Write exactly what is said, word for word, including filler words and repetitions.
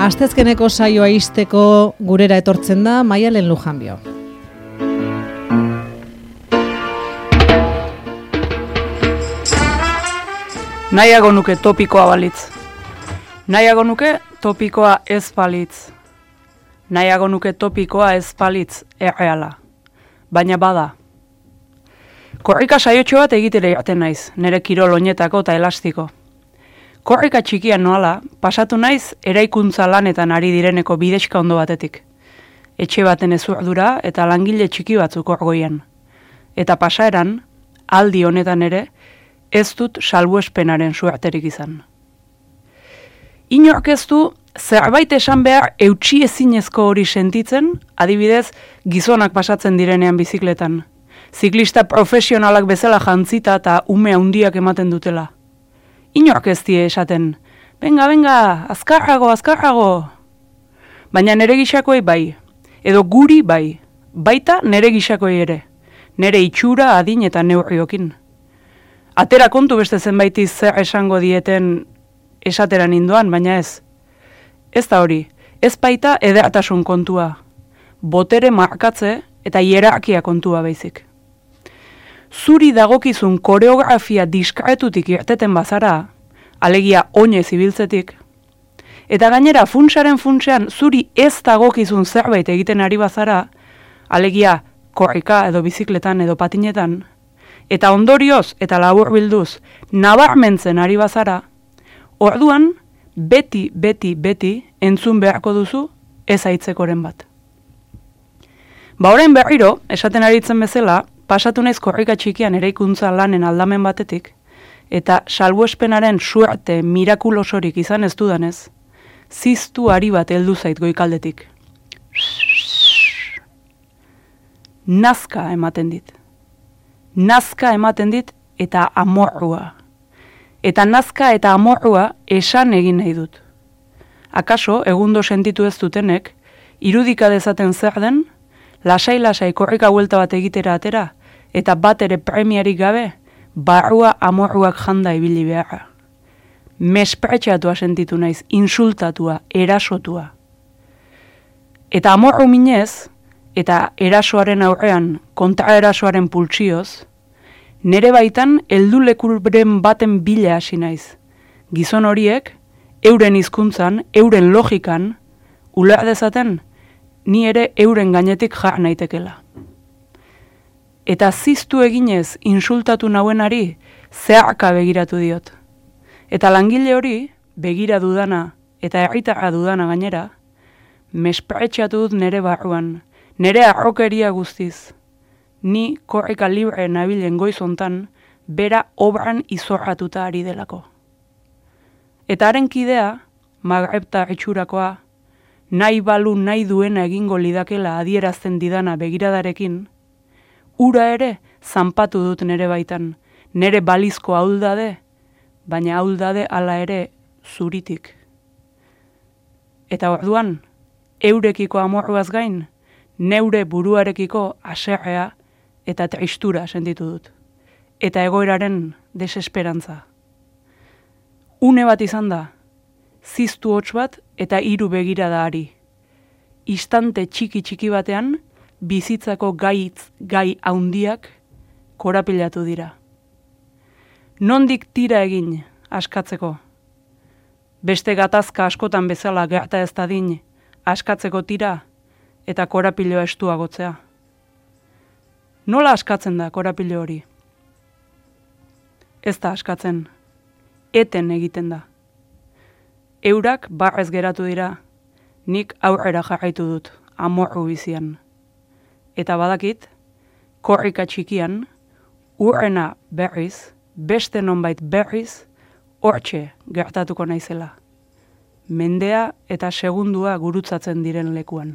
Asteazkeneko saioa ixteko gurera etortzen da Maialen Lujanbio. Nahiago nuke topikoa balitz. Nahiago nuke topikoa ez balitz. Nahiago nuke topikoa ez balitz erreala. Baina bada. Korrika saiotxo bat egitere jaten naiz, nire kirol oinetako eta elastiko. Korrika txikian noala, pasatu naiz eraikuntza lanetan ari direneko bidexka ondo batetik. Etxe baten ezurdura eta langile txiki batzuk orgoian. Eta pasaeran, aldi honetan ere, ez dut salbuespenaren suerterik izan. Inork ez du zerbait esan behar eutsi ezinezko hori sentitzen, adibidez gizonak pasatzen direnean bizikletan. Ziklista profesionalak bezala jantzita eta ume handiak ematen dutela. Inork ez die esaten, benga, benga, azkarrago, azkarrago. Baina nere gixakoi bai, edo guri bai, baita nere gixakoi ere, nere itxura adin eta neurriokin. Atera kontu beste zenbaitiz zer esango dieten esateran indoan, baina ez. Ez da hori, ez baita edertasun kontua, botere markatze eta hierarkia kontua baizik. Zuri dagokizun koreografia diskretutik irteten bazara, alegia oinez ibiltzetik, eta gainera funtsaren funtsean zuri ez dagokizun zerbait egiten ari bazara, alegia korrika edo bizikletan edo patinetan, eta ondorioz eta laburbilduz nabarmentzen ari bazara, orduan beti, beti, beti entzun beharko duzu ez aitzekoren bat. Ba orain berriro, esaten aritzen bezala, pasatu naiz korrika txikian eraikuntza lanen aldamen batetik, eta salbuespenaren suerte mirakulosorik izan ez dudanez, ziztu ari bat heldu zait goikaldetik. Nazka ematen dit. Nazka ematen dit eta amorrua. Eta nazka eta amorrua esan egin nahi dut. Akaso, egundo sentitu ez dutenek, irudika dezaten zer den, lasai-lasai korrika buelta bat egitera atera, eta bat ere premiarik gabe, barrua amorruak janda ibili beharra. Mespretxatua sentitu naiz, insultatua, erasotua. Eta amorru minez, eta erasoaren aurrean, kontra erasoaren pultsioz, nere baitan heldu lekuren baten bila hasi naiz. Gizon horiek, euren hizkuntzan, euren logikan, uler dezaten, ni ere euren gainetik jar naitekela. Eta ziztu eginez insultatu nauenari zeharka begiratu diot. Eta langile hori, begira dudana eta herritarra dudana gainera, mespretxatu dut nere barruan, nere arrokeria guztiz. Ni korrika libre nabilen goizontan, bera obran izorratuta ari delako. Eta haren kidea, Magrebta itxurakoa, nahi balu nahi duena egingo lidakela adierazten didana begiradarekin, ura ere zanpatu dut nere baitan, nere balizko ahuldade, baina ahuldade hala ere zuritik. Eta orduan, eurekiko amorruaz gain, neure buruarekiko haserrea eta tristura sentitu dut. Eta egoeraren desesperantza. Une bat izan da, ziztu hots bat eta hiru begirada ari. Istante txiki-txiki batean, bizitzako gaitz gai haundiak korapilatu dira. Nondik tira egin askatzeko? Beste gatazka askotan bezala gerta ez dadin askatzeko tira eta korapiloa estuagotzea. Nola askatzen da korapilo hori? Ez da askatzen, eten egiten da. Eurak barrez geratu dira, nik aurrera jarraitu dut, amorru bizian. Eta badakit, korrika txikian, urrena berriz, beste nonbait berriz, hortxe gertatuko naizela. Mendea eta segundua gurutzatzen diren lekuan.